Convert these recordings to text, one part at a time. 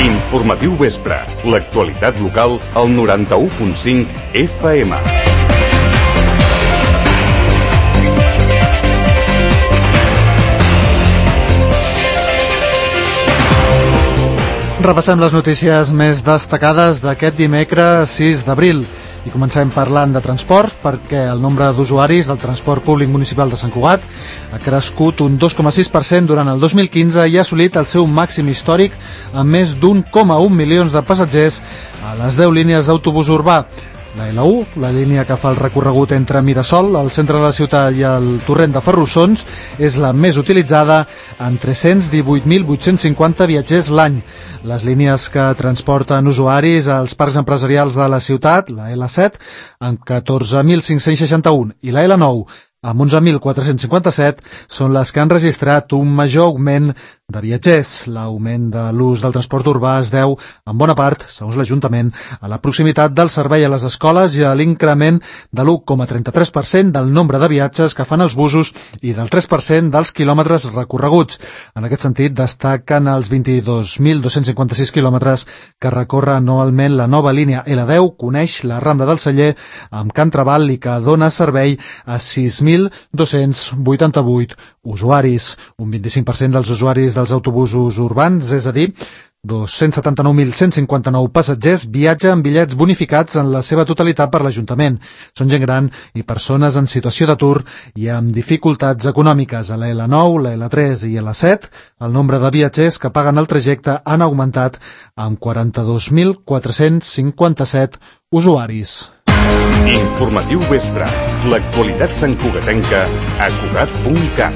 Informatiu vespre. L'actualitat local al 91.5 FM. Repassem les notícies més destacades d'aquest dimecres 6 d'abril. I comencem parlant de transports perquè el nombre d'usuaris del transport públic municipal de Sant Cugat ha crescut un 2,6% durant el 2015 i ha assolit el seu màxim històric amb més d'1,1 milions de passatgers a les 10 línies d'autobús urbà. La L1, la línia que fa el recorregut entre Mirasol, el centre de la ciutat i el torrent de Ferrussons, és la més utilitzada amb 318.850 viatgers l'any. Les línies que transporten usuaris als parcs empresarials de la ciutat, la L7, amb 14.561 i la L9, amb 11.457, són les que han registrat un major augment de viatgers. L'augment de l'ús del transport urbà es deu, en bona part, segons l'Ajuntament, a la proximitat del servei a les escoles i a l'increment de l'1,33% del nombre de viatges que fan els busos i del 3% dels quilòmetres recorreguts. En aquest sentit, destaquen els 22.256 quilòmetres que recorre anualment la nova línia L10, coneix la Rambla del Celler amb Can Trabal i que dona servei a 6.288 usuaris, un 25% dels usuaris dels autobusos urbans, és a dir, 279.159 passatgers viatgen amb bitllets bonificats en la seva totalitat per l'Ajuntament. Són gent gran i persones en situació d'atur i amb dificultats econòmiques. A la L9, la L3 i la L7, el nombre de viatgers que paguen el trajecte han augmentat amb 42.457 usuaris. Informatiu vespre. L'actualitat santcugatenca a Cugat.cat.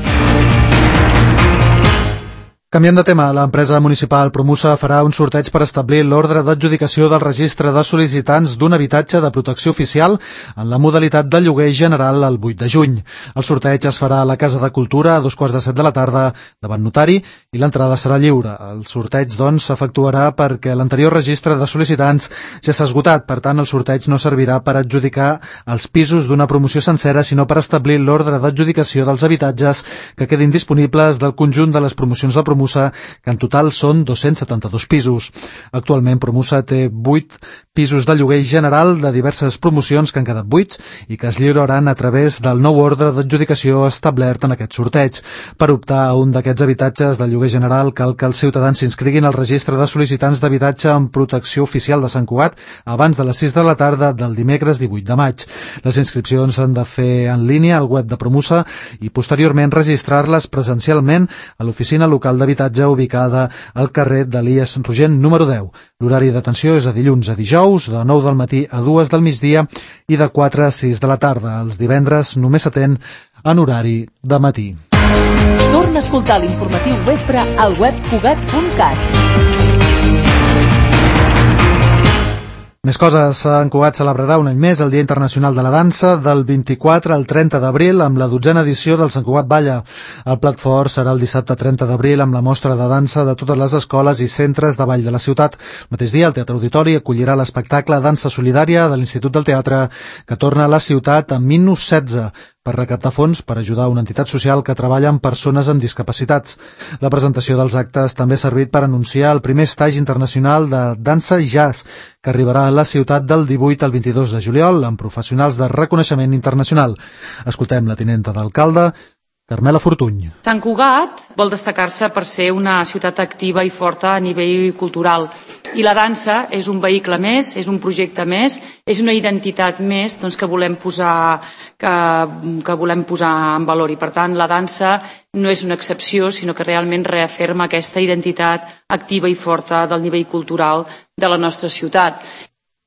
Canviant de tema, l'empresa municipal Promusa farà un sorteig per establir l'ordre d'adjudicació del registre de sol·licitants d'un habitatge de protecció oficial en la modalitat de lloguer general el 8 de juny. El sorteig es farà a la Casa de Cultura a 2:15 de la tarda davant notari i l'entrada serà lliure. El sorteig, doncs, s'efectuarà perquè l'anterior registre de sol·licitants ja s'ha esgotat. Per tant, el sorteig no servirà per adjudicar els pisos d'una promoció sencera, sinó per establir l'ordre d'adjudicació dels habitatges que quedin disponibles del conjunt de les promocions de Promusa, que en total són 272 pisos. Actualment, Promusa té 8 pisos de lloguer general de diverses promocions que han quedat buits i que es lliuraran a través del nou ordre d'adjudicació establert en aquest sorteig. Per optar a un d'aquests habitatges de lloguer general cal que els ciutadans s'inscriguin al registre de sol·licitants d'habitatge en protecció oficial de Sant Cugat abans de les 6 de la tarda del dimecres 18 de maig. Les inscripcions s'han de fer en línia al web de Promusa i posteriorment registrar-les presencialment a l'oficina local d'habitatge ubicada al carrer d'Elies Rogent número 10. L'horari d'atenció és de dilluns a dijous, de 9 del matí a 2 del migdia i de 4 a 6 de la tarda. Els divendres només s'atén en horari de matí. Torna a escoltar l'informatiu vespre al web Cugat.cat. Més coses. Sant Cugat celebrarà un any més el Dia Internacional de la Dansa del 24 al 30 d'abril amb la 12a edició del Sant Cugat Balla. El plat fort serà el dissabte 30 d'abril amb la mostra de dansa de totes les escoles i centres de ball de la ciutat. El mateix dia, el Teatre Auditori acollirà l'espectacle Dansa Solidària de l'Institut del Teatre que torna a la ciutat amb Minus 16 per recaptar fons per ajudar una entitat social que treballa amb persones amb discapacitats. La presentació dels actes també ha servit per anunciar el primer estatge internacional de dansa i jazz que arribarà a la ciutat del 18 al 22 de juliol amb professionals de reconeixement internacional. Escoltem la tinenta d'alcalde, Carmela Fortuny. Sant Cugat vol destacar-se per ser una ciutat activa i forta a nivell cultural. I la dansa és un vehicle més, és un projecte més, és una identitat més que volem posar en valor. I per tant, la dansa no és una excepció, sinó que realment reafirma aquesta identitat activa i forta del nivell cultural de la nostra ciutat.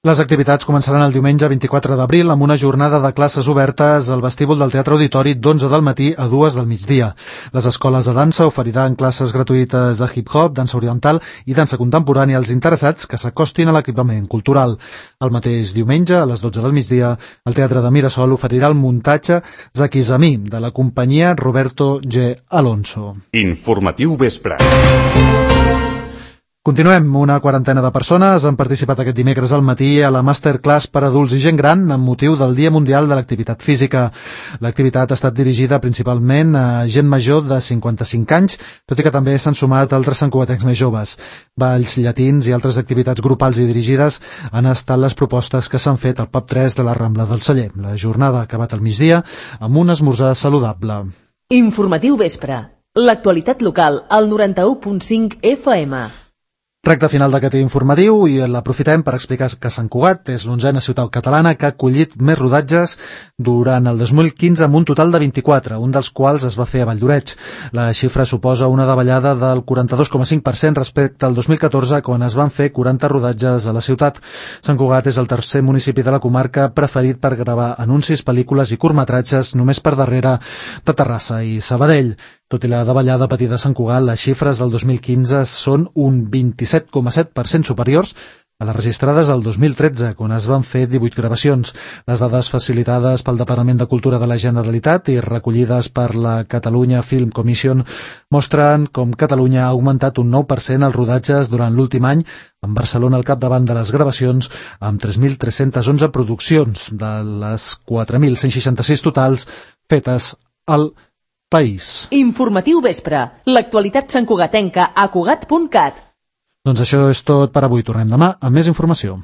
Les activitats començaran el diumenge 24 d'abril amb una jornada de classes obertes al vestíbul del Teatre Auditori d'11 del matí a 2 del migdia. Les escoles de dansa oferiran classes gratuïtes de hip-hop, dansa oriental i dansa contemporània als interessats que s'acostin a l'equipament cultural. El mateix diumenge, a les 12 del migdia, el Teatre de Mirasol oferirà el muntatge Zakizami de la companyia Roberto G. Alonso. Informatiu vespre. Continuem. Una quarantena de persones han participat aquest dimecres al matí a la Masterclass per adults i gent gran amb motiu del Dia Mundial de l'Activitat Física. L'activitat ha estat dirigida principalment a gent major de 55 anys, tot i que també s'han sumat altres santcugatencs més joves. Balls, llatins i altres activitats grupals i dirigides han estat les propostes que s'han fet al Pub 3 de la Rambla del Celler. La jornada ha acabat al migdia amb un esmorzar saludable. Informatiu vespre. L'actualitat local al 91.5 FM. Recte final d'aquest informatiu i l'aprofitem per explicar que Sant Cugat és l'11a ciutat catalana que ha acollit més rodatges durant el 2015 amb un total de 24, un dels quals es va fer a Valldoreix. La xifra suposa una davallada del 42,5% respecte al 2014, quan es van fer 40 rodatges a la ciutat. Sant Cugat és el tercer municipi de la comarca preferit per gravar anuncis, pel·lícules i curtmetratges, només per darrere de Terrassa i Sabadell. Tot i la davallada patida a Sant Cugat, les xifres del 2015 són un 27,7% superiors a les registrades el 2013, quan es van fer 18 gravacions. Les dades facilitades pel Departament de Cultura de la Generalitat i recollides per la Catalunya Film Commission mostren com Catalunya ha augmentat un 9% els rodatges durant l'últim any, amb Barcelona al capdavant de les gravacions, amb 3.311 produccions, de les 4.166 totals fetes al país. Informatiu vespre. L'actualitat santcugatenca a Cugat.cat. Doncs això és tot per avui. Tornem demà amb més informació.